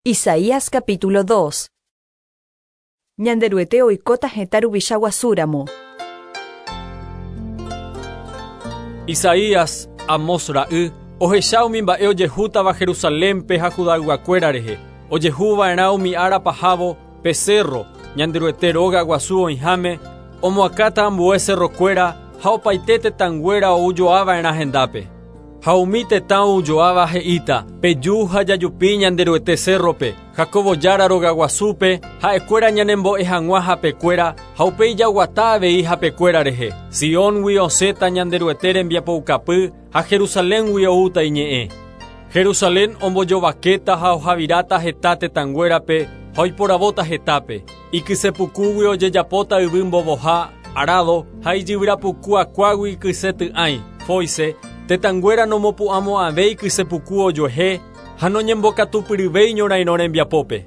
Isaías capítulo 2. Ñanderuete oikóta hetã ruvicha guasúramo. Isaías, Amós ra'y, ohecha umi mba'e ojehútava Jerusalénpe ha Judayguakuéra rehe. Ojehuva'erã umi ára pahávo pe cerro, Ñanderuete róga guasu oĩháme, omoakãta ambue cerrokuéra ha opaite tetãnguéra oujoava'erã hendápe. Ha umi tetã oujoáva he'íta, Peju ha jajupi Ñanderuete cérrope, Jacóbo Jára rogaguasúpe, ha'ekuéra ñanembo'e hag̃ua hapekuéra, ha upéi jaguata avei hapekuéra rehe. Sióngui osẽta Ñanderuete rembiapoukapy ha Jerusaléngui oúta iñe'ẽ. Jerusalén ombojovakéta ha ohaviráta heta tetãnguérape ha oiporavóta hetápe. Ikysepukúgui ojejapóta yvy mbovoha, arádo, ha ijyvyrapuku akuágui ikyse ty'ãi, fóise, tetãnguéra nomopu'ãmo'ãvéi kysepuku ojuehe ha noñembokatupyryvéi ñorairõ rembiapópe.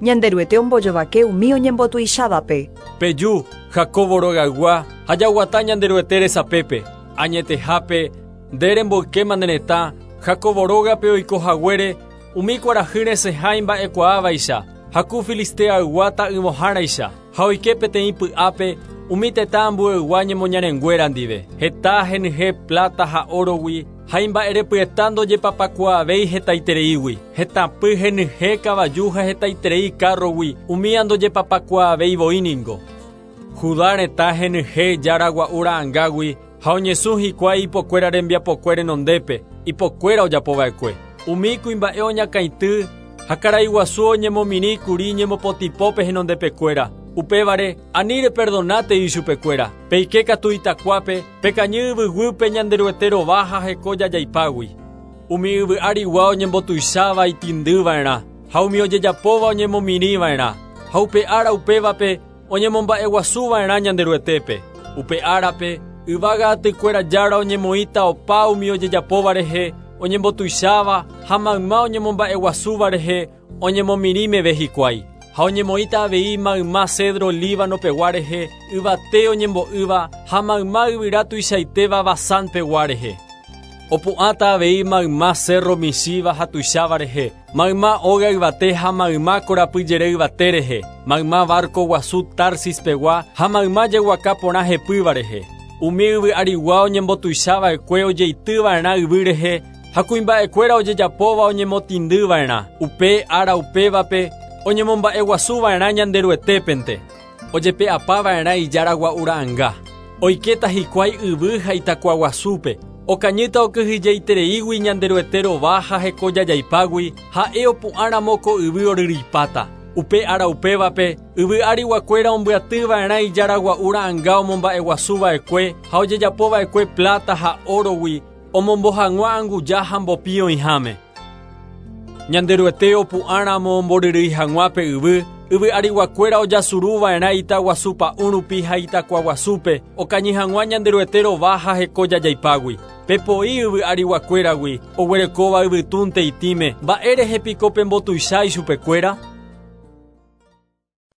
Ñanderuete ombojovake umi oñembotuichávape. Peju, Jacóbo rogaygua, ha jaguata Ñanderuete resapépe. Añetehápe, nde remboykéma ne retã, Jacóbo rógape oiko haguére, umi kuarahy resẽha imba'ekuaávaicha, ha ku Filisteaygua ta'yvõháraicha, ha oike peteĩ py'ápe umi tetã ambueygua ñemoñarenguéra ndive. Heta henyhẽ pláta ha órogui, ha imba'erepyeta ndojepapakuaavéi hetaitereígui. Hetãpy henyhẽ kavaju ha hetaiterei kárrogui, umía ndojepapakuaavéi voi ningo. Judá retã henyhẽ jára gua'u ra'angágui ha oñesũ hikuái ipokuéra rembiapokue renondépe, ipokuéra ojapova'ekue. Umi kuimba'e oñakãity ha karai guasu oñemomirĩ kuri ñemopotĩpópe henondepekuéra. Upévare, ani reperdonátei ichupekuéra. Peike katu itakuápe, pekañy yvyguýpe Ñanderuete rova ha heko jajaipágui. Umi yvy arigua oñembotuicháva itĩndyva'erã, ha umi ojejapóva oñemomirĩva'erã. Ha upe ára upévape oñemomba'eguasuva'erã Ñanderuetépe. Upe árape, yvága atykuéra Jára oñemoĩta opa umi ojejapóva rehe, oñembotuicháva ha mayma oñemomba'eguasúva rehe oñemomirĩ meve hikuái. Ha oñemoĩta avei mayma cedro Líbano pegua rehe, yvate oñembo'ýva ha mayma yvyra tuichaitéva Basán pegua rehe. Opu'ãta avei mayma cerro michĩva ha tuicháva rehe, mayma óga yvate ha mayma korapy jere yvate rehe, mayma barco guasu Tarsis pegua ha mayma jeguaka porã hepýva rehe. Umi yvy arigua oñembotuichava'ekue ojeityva'erã yvy rehe ha kuimba'ekuéra ojejapóva oñemotĩndyva'erã. Upe ára upévape oñemomba'eguasuva'erã Ñanderuetépente, ojepe'apava'erã ijára gua'u ra'anga. Oikéta hikuái yvy ha itakuaguasúpe, okañýta okyhyjeitereígui Ñanderuete rova ha heko jajaipágui, ha'e opu'ãramo ko yvy oryryipáta. Upe ára upévape, yvy ariguakuéra ombyatyva'erã ijára gua'u ra'anga omomba'eguasuva'ekue ha ojejapova'ekue pláta ha órogui, omombo hag̃ua anguja ha mbopi oĩháme. Ñanderuete opu'ãramo omboryrýi hag̃ua pe yvy, yvy ariguakuéra ojasuruva'erã itaguasu pa'ũ rupi ha itakuaguasúpe, okañy hag̃ua Ñanderuete rova ha heko jajaipágui. Pepoi yvy ariguakuéragui, oguerekóva yvytúnte itĩme, mba'érehe piko pembotuicha ichupekuéra?